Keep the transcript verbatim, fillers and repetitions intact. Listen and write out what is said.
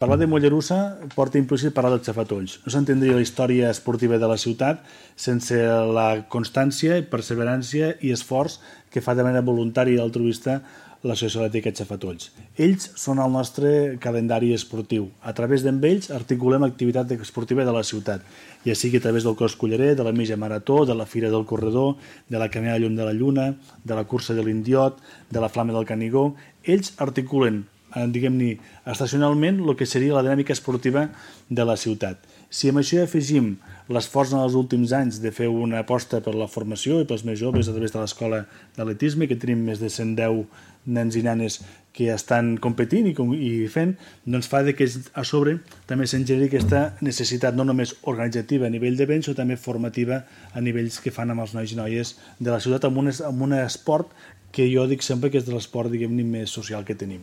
Parlar de Mollerussa porta implícit parlar dels xafatolls. No s'entendria la història esportiva de la ciutat sense la constància, perseverància i esforç que fa de manera voluntària i altruista l'Associació Atlètica Xafatolls. Ells són el nostre calendari esportiu. A través d'ells articulem l'activitat esportiva de la ciutat, ja sigui a través del cos collarer, de la mitja marató, de la Fira del Corredor, de la Caminada Llum de la Lluna, de la Cursa de l'Indiot, de la Flama del Canigó. Ells articulen diguem-ne, estacionalment el que seria la dinàmica esportiva de la ciutat. Si amb això afegim l'esforç en els últims anys de fer una aposta per la formació i pels més joves a través de l'escola d'atletisme, que tenim més de cent deu nens i nenes que estan competint i fent, doncs fa que a sobre també se'n generi aquesta necessitat no només organitzativa a nivell d'events, sinó també formativa a nivells que fan amb els nois i noies de la ciutat amb un esport que jo dic sempre que és de l'esport, diguem-ne, més social que tenim.